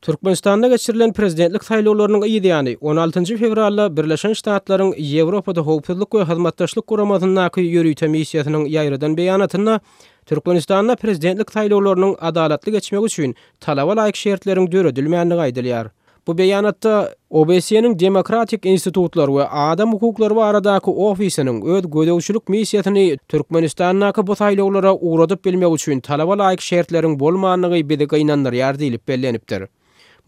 Türkmenistanda geçirilen prezidentlik saýlawlarynyň yz ýany, on altynjy fewralda Birleşen Ştatlaryň Ýewropada Howpsuzlyk we Hyzmatdaşlyk Guramasyndaky ýörite missiýasynyň ýaýradan beýanatynda Türkmenistanda prezidentlik saýlawlarynyň adalatly geçmegi üçin talaba laýyk şertleriň döredilmändigi aýdylýar. Bu beýanatda OBSE-niň Demokratik institutlar we adam hukuklary baradaky ofisiniň öz gözegçilik missiýasyny Türkmenistandaky bu saýlawlara ugradyp bilmek üçin talaba laýyk şertleriň bolmandygy bizi gynandyrýar diýlip bellenipdir.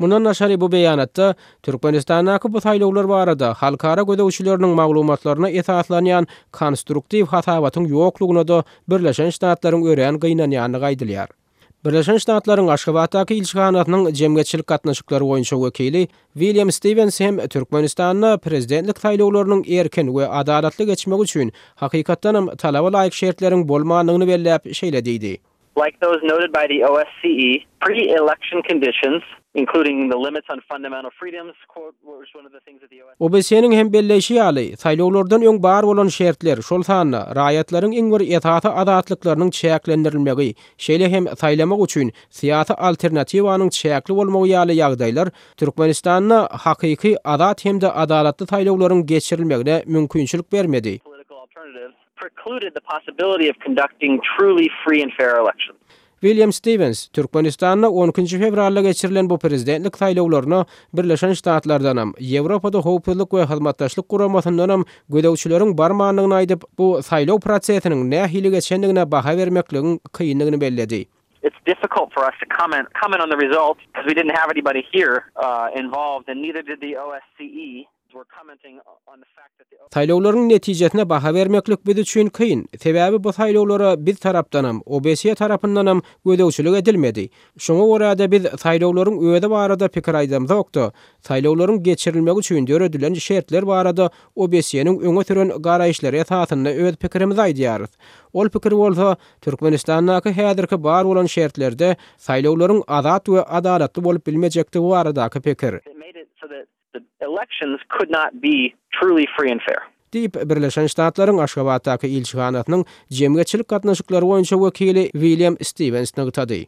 Mundan daşary bu beýanatda Türkmenistandaky bu saýlawlar barada halkara gözegçileriniň maglumatlaryna esaslanýan konstruktiw hasabatyň ýoklugyna-da Birleşen Ştatlaryň örän gynanýandygy aýdylýar. Birleşen Ştatlaryň Aşgabatdaky ilçihanasynyň jemgyýetçilik gatnaşyklary boýunça wekili William Stiwens hem Türkmenistanda prezidentlik saýlawlarynyň erkin we adalatly geçmegi üçin hakykatdanam talaba laýyk şertleriň bolmandygyny belläp, şeýle diýdi. Like those noted by the OSCE, pre-election conditions, including the limits on fundamental freedoms, quote, which one of the things that the OSCE. OBSE-niň hem belleýşi ýaly, saýlawlardan öň bar bolan şertler, şol sanda, raýatlaryň iň bir esasy azatlyklarynyň çäklendirilmegi, şeýle hem saýlamak üçin syýasy alternatiwanyň çäkli bolmagy ýaly ýagdaýlar Türkmenistanda hakyky azat hem-de adalatly saýlawlaryň geçirilmegine mümkinçilik bermedi. precluded the possibility of conducting truly free and fair elections. William Stiwens, Türkmenistanda on ikinji fewralda geçirilen bu prezidentlik saýlawlaryna Birleşen Ştatlardanam, Ýewropada Howpsuzlyk we Hyzmatdaşlyk Guramasyndanam gözegçileriň barmandygyny aýdyp, bu saýlaw prosesiniň nähili geçendigine baha bermekligiň kyndygyny belledi. It's difficult for us to comment comment on the results because we didn't have anybody here involved and neither did the OSCE. Saýlawlaryň netijesine baha bermeklik biz üçin kyn, sebäbi bu saýlawlara biz tarapdanam, OBSE tarapyndanam gözegçilik edilmedi. Şoňa görä-de biz saýlawlaryň özi barada pikir aýdamzok-da, saýlawlaryň geçirilmegi üçin döredilen şertler barada OBSE-niň öňe süren garaýyşlary esasynda öz pikirimizi aýdýarys. Ol pikir bolsa, Türkmenistandaky häzirki bar bolan şertlerde saýlawlaryň azat we adalatly bolup bilmejekdigi baradaky pikir. The elections could not be truly free and fair. Diýip, Birleşen Ştatlaryň Aşgabatdaky ilçihanasynyň jemgyýetçilik gatnaşyklary boýunça wekili William Stiwens nygtady.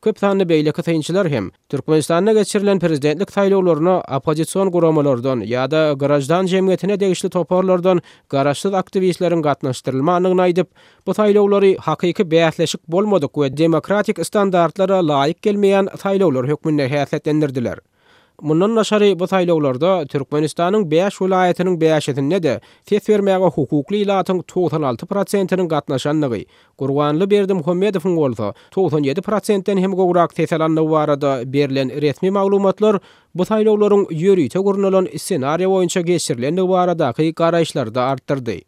Köp sanly beýleki synçylar hem Türkmenistanda geçirilen prezidentlik saýlawlaryna oppozision guramalardan ýa-da graždan jemgyýetine degişli toparlardan garaşsyz aktiwistleriň gatnaşdyrylmandygyny aýdyp, bu saýlawlary hakyky bäsleşik bolmadyk we demokratik standartlara laýyk gelmeýän saýlawlar hökmünde häsiýetlendirdiler. Mundan daşary, bu saýlawlarda Türkmenistanyň bäş welaýatynyň bäşisinde-de ses bermäge hukukly ilatyň 96 prosentiniň gatnaşandygy, Gurbanly Berdimuhamedowyň bolsa 97 prosentden hem gowrak ses alandygy barada berlen resmi maglumatlar bu saýlawlaryň ýörite gurnalan ssenariýa boýunça geçirilendigi baradaky garaýyşlary-da artdyrdy.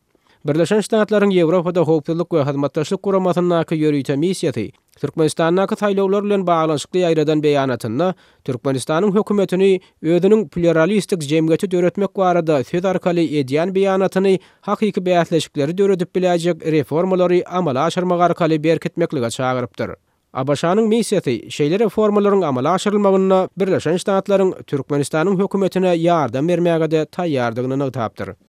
Birleşen Ştatlaryň Ýewropada Howpsuzlyk we Hyzmatdaşlyk Guramasyndaky ýörite missiýasy Türkmenistandaky saýlawlar bilen baglanyşykly ýaýradan beýanatynda Türkmenistanyň hökümetini özüniň plýuralistik jemgyýeti döretmek barada söz arkaly edýän beýanatyny hakyky bäsleşikleri döredip biläýjek reformalary amala aşyrmak arkaly berkitmeklige çagyrypdyr. ABŞ-nyň missiýasy şeýle reformalaryň amala aşyrylmagynda Birleşen Ştatlaryň Türkmenistanyň hökümetine ýardam bermäge-de taýýardygyny nygtapdyr.